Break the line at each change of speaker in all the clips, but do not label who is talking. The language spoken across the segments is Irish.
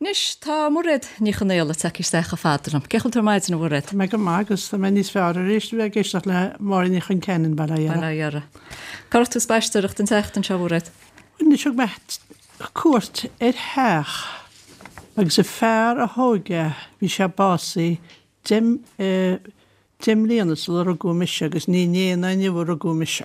Anois, tá Mairéad Ní Chonaola tagtha isteach chomh fada liom. Cén chaoi a bhfuil tú ar maidin, a Mhairéad?
Tá mé go maith agus tá mé níos fearr arís a bheith ag éisteacht le Máire Ní Choinceanainn, bail ó Dhia uirthi.
Bail ó Dhia uirthi. Cá raibh tú ag spaisteoireacht an tseachtain seo, a Mhairéad?
Anois, thug mé cuairt ar theach agus an fear a thóg é, bhí sé básaithe 10 mbliana sula rugadh mise agus ní inné ná inniu a rugadh mise.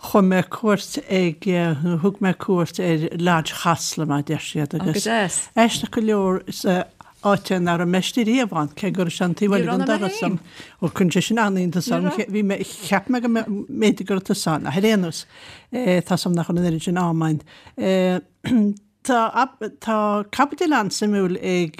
Chuaigh mé cuairt ag, nó thug mé cuairt ar Lodge Chasla mar a deir siad agus aisteach go leor is áit é nach raibh mé istigh riamh ann, cé go raibh sé an taobh eile den doras agam. Ó cuireann sé sin an-iontas orm, bhí mé, cheap mé go mb'fhéidir go raibh tusa ann, ach ar aon nós, tá 's agam nach raibh an oiread sin ama ann. Tá tá caibidil an-suimiúil ag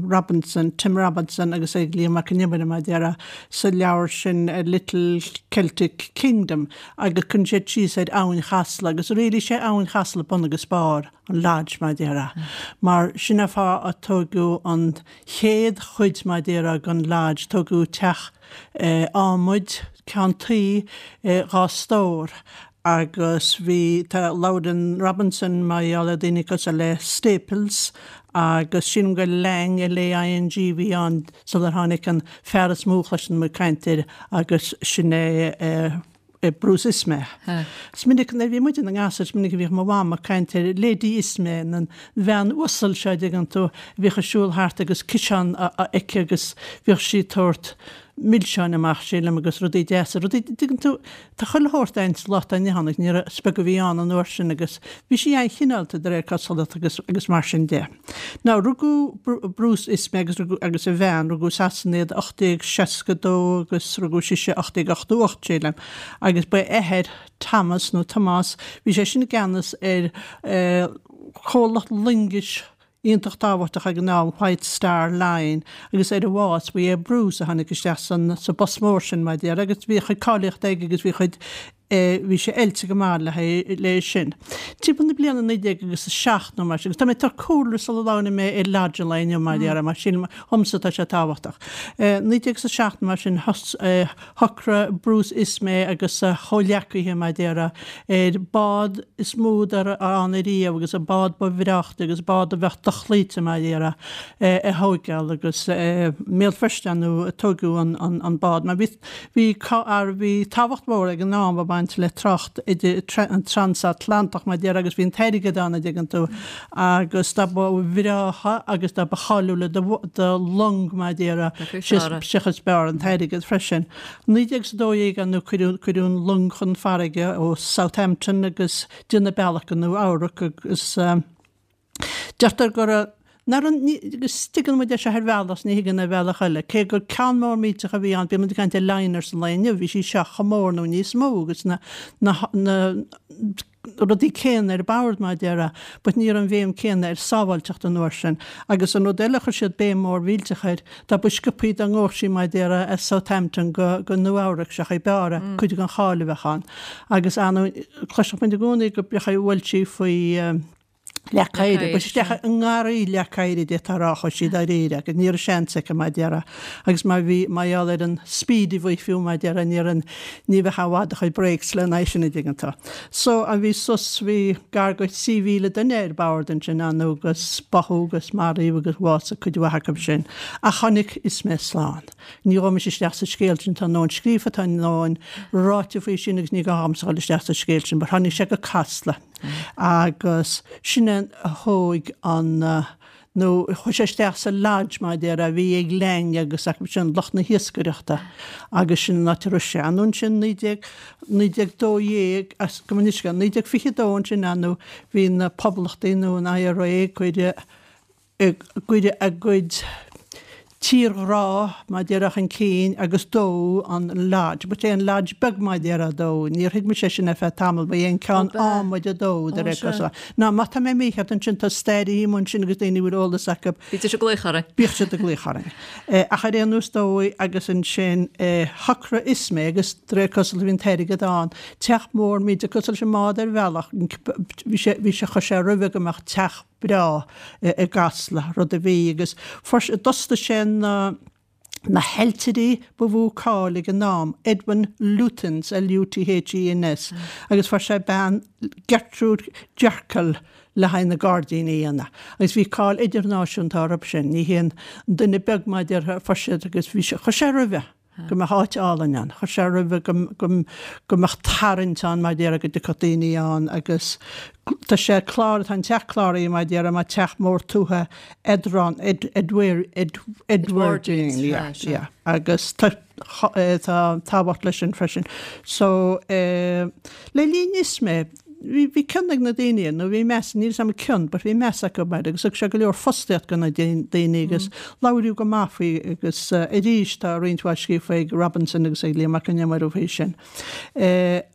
Robinson, Tim Robinson agus ag Liam Mac Con Iomaire, mar a déarfá, sa leabhar sin A Little Celtic Kingdom agus cuireann siad síos ar Abhainn Chasla agus really sé Abhainn Chasla bun agus barr an Lodge, mar a déarfá. Mar sin an fáth a tóigeadh an chéad chuid, mar a déarfá, den Lodge, tógadh teach adhmaid, ceann tuí, 2 stór Agus bhí, tá, labhrann Robinson mar gheall ar daoine cosúil le Staples agus sílim gur Laing, L-A-I-N-G, a bhí ann sular tháinig an fear is mó a chloiseann muid caint air agus sin é Bruce Ismay. Is minic, nuair a bhí muid ina ngasúir, is minic a bhíodh mo mham ag caint ar Lady Ismay, an bhean uasal seo, a dtuigeann tú, a bhíodh ag siúl thart agus ciseán aici agus bhíodh sí ag tabhairt milseáin amach, sílim, agus rudaí deasa, rudaí, dtuigeann tú, tá chuile shórt ann sa lá atá inniu ann agus ní raibh, is beag a bhí ann an uair sin agus bhí sí an-chineálta de réir cosúlachta agus, agus mar sin de. Now, rugadh Bruce Ismay agus rugadh, agus a bhean, rugadh i Sasana iad 1862 agus rugadh sise 1888, sílim, agus ba é a athair, Thomas nó Tomás, bhí sé sin i gceannas ar eh, comhlacht loingis iontach tábhachtach ag an am, White Star Line, agus ar a bhás ba é Bruce a tháinig isteach san sa bpost mór sin, mar a déarfá, agus bhí a chuid cáilíochta aige agus bhí a chuid eh bhí sé oilte go maith le haghaidh le sin. Timpeall na bliana 19 agus a 7 nó mar sin, agus tá mé ag tabhairt cúlra sula labhraíonn mé ar Lodge an lae inniu, mar a déarfá, mar sílim dhomsa tá sé tábhachtach. Eh 19 agus a 7 nó mar sin thos eh Shocraigh Bruce Ismay agus a chomhghleacaithe, mar a déarfá, ar bád is mó dá raibh ann ariamh agus an bád ba bhreáchta agus bád a bheadh dochloíte, mar a déarfá, a thóigeáil agus i mBéal Feirste ar ndóigh a tóigeadh an bád mar bhí bhí bhí tábhacht mhór ag an am ag baint le trácht idir an transatlantach, mar a déarfá, agus bhí an t-airgead ann, a dtuigeann tú, agus dá ba bhreátha agus dá ba cháiliúla do long, mar a déarfá, seachas is b'fhearr an t-airgead freisin. 1912 ar ndóigh cuireadh, cuireadh an long chun farraige ó Southampton agus déanadh bealach go Nua Eabhrac agus deirtear go raibh, nach raibh, ní, agus tuigeann muid é seo ar bhealach is ní thuigeann ar bhealach eile, cé gur ceann mór millteach a bhí ann, bíonn muid ag caint ar liners an lae inniu, bhí sí seo chomh mór nó níos mó agus na, na, na, rudaí céanna ar bord, mar a déarfá, but ní raibh an bhéim céanna ar sábháilteacht an uair sin. Agus an rud eile a chuir siad béim mhór mhillteach air, dá ba sciobthaí dá ngabhadh sí, mar a déarfá, as Southampton go, go Nua Eabhrac, seachas b'fhearr é, cuid den cháil a bheadh ann. Agus ar ndóigh, cloisfeadh muid i gcónaí go b'fhearr a bhuail sí faoi leac oighir, but isteach i ngarraí leac oighir a d'fhéadfá a rá, chuaigh sí dáiríre agus ní raibh seans aici mar a déarfá agus mar bhí, mar gheall ar an speed a bhí fiú mar a déarfá, ní raibh an, ní bheadh i bhfad a chuid brakes lena aghaidh sin a dtuigeann tú. So, an bhí sos, bhí gar go 3,000 duine ar bord ansin ar ndóigh agus báthadh agus maraíodh agus bhásaigh cuid mhaith acu sin ach tháinig Ismay slán. Ní ghabhfaidh mise isteach sa scéal sin, tá a ndóthain scríofa, tá a ndóthain ráite faoi sin agus ní gá dhomsa dhul isteach sa scéal sin, but tháinig sé go Casla. Agus sin é a thóig an, nó chuaigh sé isteach sa lodge mar a déarfá a bhí ag Laing agus acu sin, lucht na hiascaireachta agus sin an áit a raibh sé. Anonn ansin 19, 1912, as, gabh mo leithscéal, 1922 ansin ar ndóigh bhí na poblachtaigh nó an IRA ag cur, ag cur a gcuid tírghrá, mar a déarfá, chun cinn agus dódh an Lodge. But é an Lodge beag, mar a déarfá, a dódh. Níor thuig mise sin ar feadh tamaill, ba é an ceann adhmaid a dódh, de réir cosúlachta. Now, má tá mé mícheart ansin, tá stairithe amuigh ansin agus daoine a bhfuil eolas acu.
Bídís ag glaoch orainn.
Bíodh siad ag glaoch orainn. Ach ar aon nós dódh agus ansin shocraigh Ismay agus de réir cosúlachta bhí an t-airgead ann, teach mór millteach cosúil leis an mbád ar bhealach, bhí sé, bhí sé, chuir sé roimhe go mbeadh teach breá i gCasla, rud a bhí, agus fuair sé, d'fhostaigh sé na na hailtirí ba mhó cáil ag an am, Edwin Lutyens, L-U-T-H-E-N-S, agus fuair sé bean, Gertrude Jekyll. le haghaidh na gairdíní a dhéanamh. Agus bhí cáil idirnáisiúnta orthu sin. Ní haon duine beag mar a déarfá a fuair siad agus bhí sé, chuir sé roimhe go mbeadh áit álainn ann. Chuir sé roimhe go, go, go mbeadh tarraingt ann mar a déarfá go dtiocfadh daoine ann agus tá sé clár, tá an teach cláraithe mar a déarfá mar teach mór tuaithe Edron, Ed, Edward, Ed, Edwardian, yeah, yeah. Agus tá, tá tábhacht leis sin freisin. So, le linn Ismay, bhí, bhí cion ag na daoine air, nó bhí meas, níl 'fhios a'm an cion, but bhí meas acu air agus thug sé go leor fostaíocht do na daoine agus labhraíodh go maith faoi agus arís tá roinnt mhaith scríofa ag Robinson agus ag Liam Mac Con Iomaire faoi sin.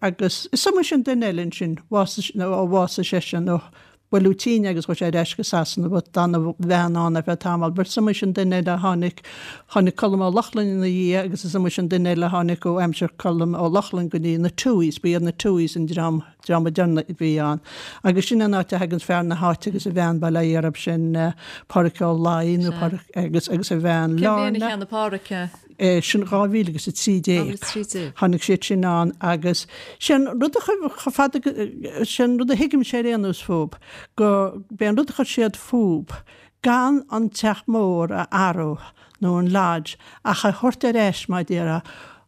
Agus is iomaí sin duine eile ansin, bhásaigh, nó ó bhásaigh seisean, ó buaileadh tinn agus chuaigh sé ar ais go Sasana but d'fhan a bhean ann ar feadh tamaill. But is iomaí sin duine eile a tháinig, tháinig Colm Ó Lochlainn ina dhiaidh agus is iomaí sin duine eile a tháinig ó aimsir Colm Ó Lochlainn go dtí na Tuohys, ba iad na Tuohys an dream, dream a deireanach a bhí ann. Agus sin an áit a thagann fear na háite agus a bhean, bail ó Dhia orthu, sin Pádraic Ó Laoi nó Pádraic agus, agus a bhean
Cén bhliain a Lorna. cheannaigh Pádraic é?
Sin 2013.
2013.
Tháinig siad sin ann agus sé an rud a chomh fada, sé an rud a thuigimse ar aon nós fúb, go b'é an rud a chuir siad fúb, gan an teach mór a athrú nó an lodge ach a thabhairt ar ais mar a déarfá,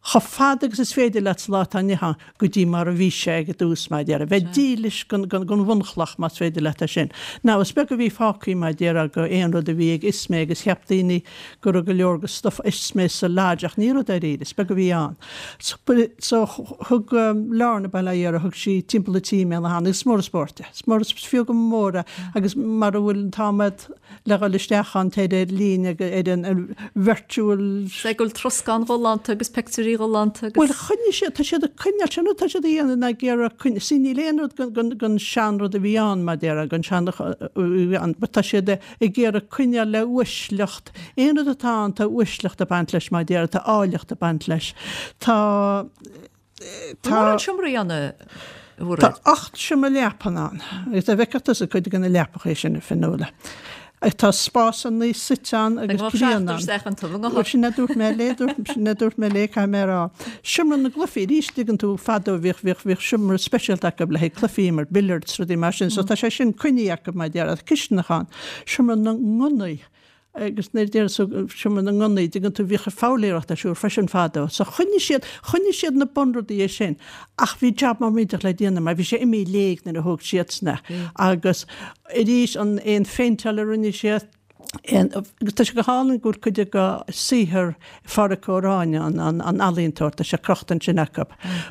chomh fada agus is féidir leat sa lá atá inniu ann go dtí mar a bhí sé ag an dtús mar a déarfá. Bheith dílis don bhunchloch más féidir leat é sin. Now is beag a bhí fágtha mar a déarfá go aon rud a bhí ag Ismay agus cheap daoine go raibh go leor go stuff Ismay sa lodge ach ní raibh dáiríre, is beag a bhí ann. So thug Lorna, bail ó Dhia uirthi, thug sí timpeall an tí mé ina agus is mór an spórt é. Is mór, is fiú go mór é agus mara bhfuil an t-am agat le dhul isteach ann téir ar líne ar an virtual.
Sé go bhfuil troscán galánta agus pictiúirí galánta
agus. Bhuel choinnigh siad, tá siad ag coinneáil, sin rud tá siad a dhéanamh ná ag iarraidh coinneáil, see níl aon rud den seanrud a bhí ann mar a déarfá, den sean a bhí ann, but tá siad ag iarraidh coinneáil le uaisleacht. Aon rud atá ann, tá uaisleacht ag baint leis, mar a déarfá, tá áilleacht ag baint leis. Tá,
tá. Mórán seomraí ann a
Mhairéad? Tá 8 seomra leapan ann. Agus dá bhfeicfeadh tusa cuid de na leapacha sin, a Fionnuala. Tá spásanna suite ann agus grian ann. Bhuel, sin a dúirt mé léi, sin a dúirt mé léi, caithfidh mé a rá. Seomra na gcluichí, arís, tuigeann tú, fadó bhíodh, bhíodh, bhíodh seomra speisialta acu le haghaidh cluichí mar billiards, rudaí mar sin. So tá sé sin coinnithe acu mar a déarfá, cisteanach ann. Seomra na ngunnaí, agus nuair a deir tú seomra na ngunnaí, tuigeann tú, bhíodh foghlaeireacht ar siúl freisin fadó. So choinnigh siad, choinnigh siad na bunrudaí sin ach bhí jab mór millteach le déanamh mar bhí sé imithe i léig nuair a thóg siadsan é. Agus arís an aon phéinteáil a rinne siad, aon, agus tá sé go hálainn go bhfuil cuid de saothar Phádhraic Ó Ráinne, an, an, an ealaíontóir, tá sé crochta ansin acu.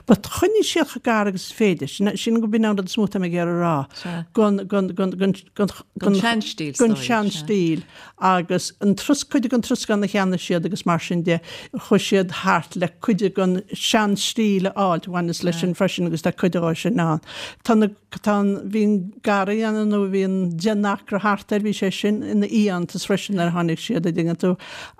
But choinnigh siad chomh gar agus is féidir, sin, sin go b'in an rud is mó atá mé ag iarraidh a rá, gon, gon, gon, gon, gon,
Gon seanstíl,
gon seanstíl agus an trus, cuid den troscán a cheannaigh siad agus mar sin de, chuaigh siad thart le cuid den seanstíl a fháilt, bhaineas leis sin freisin agus tá cuid dhó sin ann. Tá na, tá an, bhí an garraí ann nó bhí an 10 n-acra thart air, bhí sé sin ina fhiántas freisin nuair a tháinig siad, a dtuigeann tú,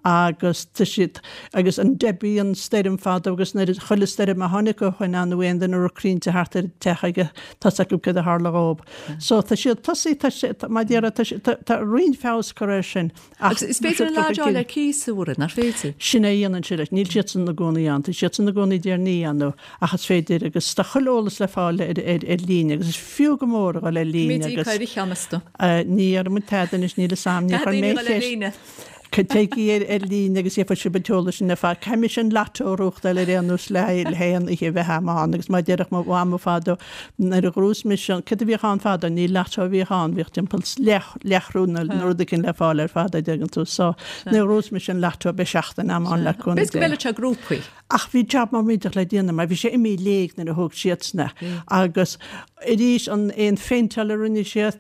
agus tá siad, agus an Debbie, an stoirm fadó agus nuair a, chuile stoirm a tháinig ó shoin ann nó aon duine a raibh crainnte thart ar an teach aige, tá's acu céard a tharla dhób. So tá siad tosaithe, tá sé, mar a déarfá, tá sé, tá, tá roinnt feabhas curtha air sin.
Ach Agus is féidir an lodge a fháil ar cíos a Mhairéad, nach féidir?
Sin é a dhéanann siad leis. Níl siadsan ina gcónaí ann. Tá siadsan ina gcónaí i dTír an Fhia nó, ach is féidir agus tá chuile eolas le fáil ar, ar, ar líne agus is fiú go mór a dhul ar líne
agus. Mídí cuir cheann astu.
Ní dhéarfaidh muid tada anois, níl fhios a'm, níor chuir mé
ceist.
Téigí ar líne agus gheobhaidh sibh an t-eolas sin ar fad. Caithfidh mise an lotto a ghnóthachtáil ar aon nós le haghaidh aon oíche a bheith a'm ann agus mar a déarfadh mo mhama fadó nuair a ghnóthós mise an, céard a bhíodh ann fadó, ní lotto a bhíodh ann, bhíodh timpeall leath, leathchrúin nó rud éigin le fáil ar fad a dtuigeann tú. So nuair a ghnóthós mise an lotto beidh seachtain a'm ann le cúnamh
Dé. B'fhéidir go bhfeilfeadh sé grúpaí.
Ach bhí jab mór millteach le déanamh mar bhí sé imithe i léig nuair a thóg siadsan é agus arís an aon phéinteáil a rinne siad,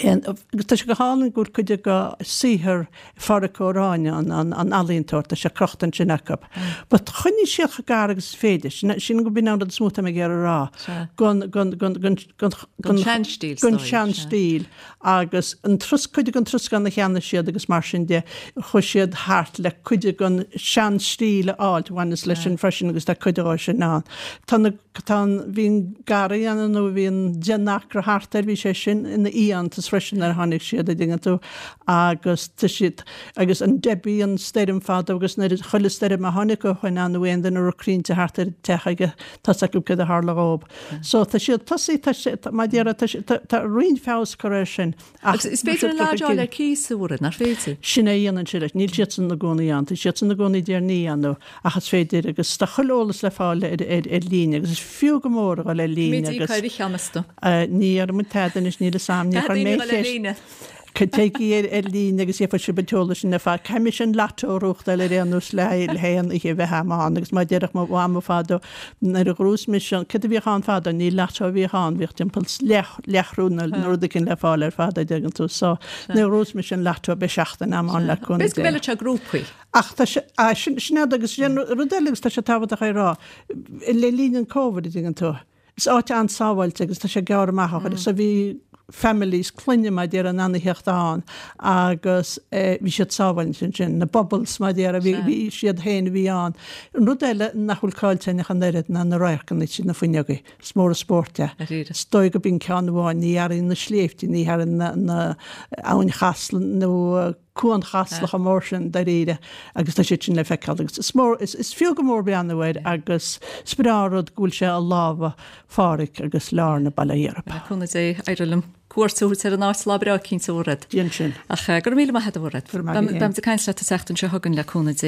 Agus tá sé go hálainn go bhfuil cuid de saothar Phádhraic Ó Ráinne, an ealaíontóir, tá sé crochta ansin acu. But choinnigh siad chomh gar agus is féidir, sin, sin go b'in an rud is mó atá mé ag iarraidh a rá, gon, gon, gon, gon,
gon, gon seanstíl,
gon seanstíl agus an trus, cuid den troscán a cheannaigh siad agus mar sin de, chuaigh siad thart le cuid den seanstíl a fháilt, bhaineas leis sin freisin agus tá cuid dhó sin ann. Tá na Tá an, bhí an garraí ann nó bhí an 10 n-acra thart air, bhí sé sin ina fhiántas. iontas freisin nuair a tháinig siad, a' dtuigeann tú, agus tá siad, agus an Debbie an stoirm fadó agus nuair a, chuile stoirm a tháinig ó shoin ann nó aon duine a raibh crainnte thart ar an teach aige, tá's acu céard a tharla dhób. So tá siad tosaithe, tá sé, mar a déarfá, tá sé, tá, tá roinnt feabhas curtha air sin.
Ach is féidir an lodge a fháil ar cíos a Mhairéad, nach féidir?
Sin é a dhéanann siad leis. Níl siadsan ina gcónaí ann. Tá siadsan ina gcónaí i dTír an Fhia ann ach is féidir agus tá chuile eolas le fáil ar líne agus is fiú go mór a dhul ar líne
agus. Mídí cuir cheann astu.
Ní dhéarfaidh muid tada anois, níl fhios a'm, níor chuir mé ceist. Téigí ar líne agus gheobhaidh sibh an t-eolas sin ar fad. Caithfidh mise an lotto a ghnóthachtáil ar aon nós le haon oíche a bheith a'm ann agus mar a déarfadh mo mhama fadó nuair a ghnóthós mise an, céard a bhíodh ann fadó, ní lotto a bhíodh ann, bhíodh timpeall leath, leathchrúna nó rud éigin le fáil ar fad a' dtuigeann tú. So nuair a ghnóthós mise an lotto beidh seachtain a'm ann le cúnamh
Dé. B'fhéidir go bhfeilfeadh sé grúpaí.
Ach tá sé, ah, sin, sin é agus sin rud eile agus tá sé tábhachtach é a rá, le linn an Covid a dtuigeann tú, Is áit an-sábháilte agus tá sé gearr amach ó chuile. So bhí families, clainne mar a déarfá in ann a theacht ann agus bhí siad sábháilte ansin. Na bubbles mar a déarfá, bhí, bhí siad féin a bhí ann. An rud eile nach bhfuil caillte ach an oiread ná na radharcanna tríd na fuinneogaí. Is mór an spórt é. Is dóigh go b'in ceann amháin, ní airíonn na sléibhte, ní airíonn na, na Abhainn Chasla nó Cuan Chasla chomh mór sin dáiríre agus tá siad sin le feiceáil agus is mór, is fiú go mór breathnú air agus is breá an rud go bhfuil sé i lámha Pháraic agus Lorna Baile Átha
Iarb. Le cúnamh Dé, éireoidh liom cuairt a thabhairt ar an áit lá breá eicínt a Mhairéad.
Déan sin.
Ach go raibh míle maith agat a
Mhairéad. Go raibh maith agat.
Beimid ag caint leat an tseachtain seo chugainn le cúnamh Dé.